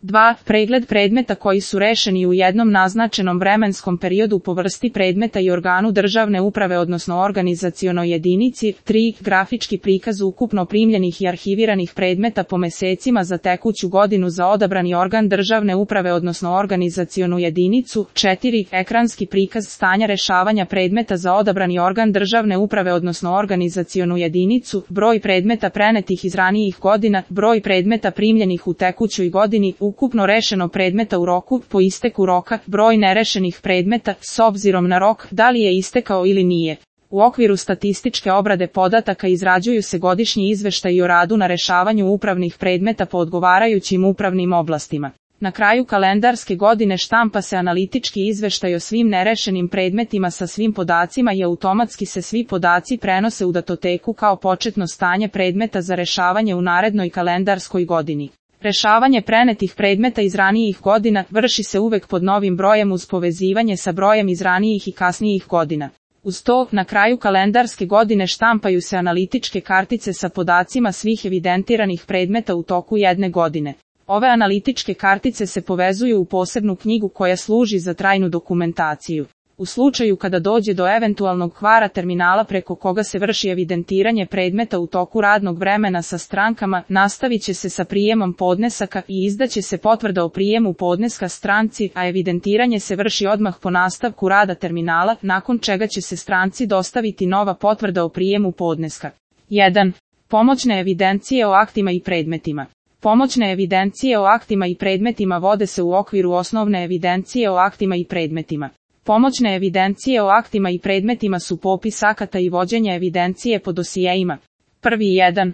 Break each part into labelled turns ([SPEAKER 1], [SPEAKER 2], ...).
[SPEAKER 1] 2. Pregled predmeta koji su rešeni u jednom naznačenom vremenskom periodu po vrsti predmeta i organu državne uprave odnosno organizacionoj jedinici. 3. Grafički prikaz ukupno primljenih i arhiviranih predmeta po mesecima za tekuću godinu za odabrani organ državne uprave odnosno organizacionu jedinicu. 4. Ekranski prikaz stanja rešavanja predmeta za odabrani organ državne uprave odnosno organizacionu jedinicu, broj predmeta prenetih iz ranijih godina, broj predmeta primljenih u tekućoj godini, ukupno rešeno predmeta u roku, po isteku roka, broj nerešenih predmeta, s obzirom na rok, da li je istekao ili nije. U okviru statističke obrade podataka izrađuju se godišnji izveštaji o radu na rešavanju upravnih predmeta po odgovarajućim upravnim oblastima. Na kraju kalendarske godine štampa se analitički izveštaj o svim nerešenim predmetima sa svim podacima i automatski se svi podaci prenose u datoteku kao početno stanje predmeta za rešavanje u narednoj kalendarskoj godini. Rešavanje prenetih predmeta iz ranijih godina vrši se uvek pod novim brojem uz povezivanje sa brojem iz ranijih i kasnijih godina. Uz to, na kraju kalendarske godine štampaju se analitičke kartice sa podacima svih evidentiranih predmeta u toku jedne godine. Ove analitičke kartice se povezuju u posebnu knjigu koja služi za trajnu dokumentaciju. U slučaju kada dođe do eventualnog kvara terminala preko koga se vrši evidentiranje predmeta u toku radnog vremena sa strankama, nastavit će se sa prijemom podnesaka i izdaće se potvrda o prijemu podneska stranci, a evidentiranje se vrši odmah po nastavku rada terminala, nakon čega će se stranci dostaviti nova potvrda o prijemu podneska. 1. Pomoćne evidencije o aktima i predmetima. Pomoćne evidencije o aktima i predmetima vode se u okviru osnovne evidencije o aktima i predmetima. Pomoćne evidencije o aktima i predmetima su popis akata i vođenje evidencije po dosijeima. 1.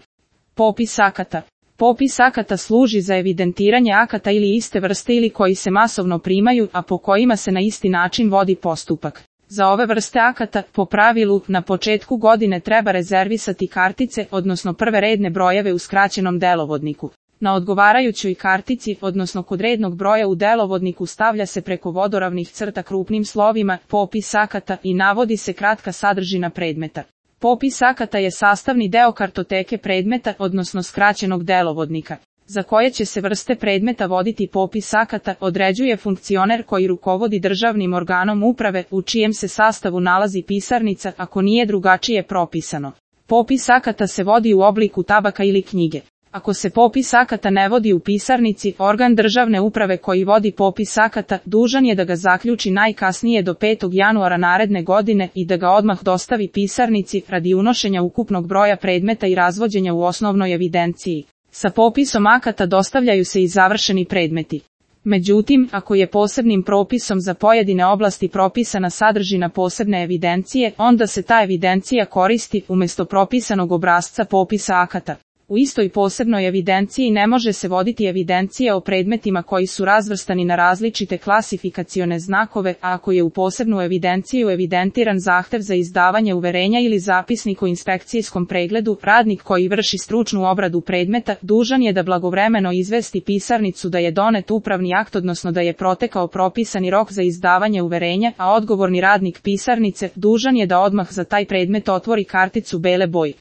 [SPEAKER 1] Popis akata. Popis akata služi za evidentiranje akata ili iste vrste ili koji se masovno primaju, a po kojima se na isti način vodi postupak. Za ove vrste akata, po pravilu, na početku godine treba rezervisati kartice, odnosno prve redne brojeve u skraćenom delovodniku. Na odgovarajućoj kartici, odnosno kod rednog broja u delovodniku stavlja se preko vodoravnih crta krupnim slovima popis akata i navodi se kratka sadržina predmeta. Popis akata je sastavni deo kartoteke predmeta, odnosno skraćenog delovodnika. Za koje će se vrste predmeta voditi popis akata, određuje funkcioner koji rukovodi državnim organom uprave, u čijem se sastavu nalazi pisarnica, ako nije drugačije propisano. Popis akata se vodi u obliku tabaka ili knjige. Ako se popis akata ne vodi u pisarnici, organ državne uprave koji vodi popis akata dužan je da ga zaključi najkasnije do 5. januara naredne godine i da ga odmah dostavi pisarnici radi unošenja ukupnog broja predmeta i razvođenja u osnovnoj evidenciji. Sa popisom akata dostavljaju se i završeni predmeti. Međutim, ako je posebnim propisom za pojedine oblasti propisana sadržina posebne evidencije, onda se ta evidencija koristi umjesto propisanog obrasca popisa akata. U istoj posebnoj evidenciji ne može se voditi evidencija o predmetima koji su razvrstani na različite klasifikacione znakove, a ako je u posebnu evidenciju evidentiran zahtev za izdavanje uverenja ili zapisnik o inspekcijskom pregledu, radnik koji vrši stručnu obradu predmeta dužan je da blagovremeno izvesti pisarnicu da je donet upravni akt odnosno da je protekao propisani rok za izdavanje uverenja, a odgovorni radnik pisarnice dužan je da odmah za taj predmet otvori karticu bele boje.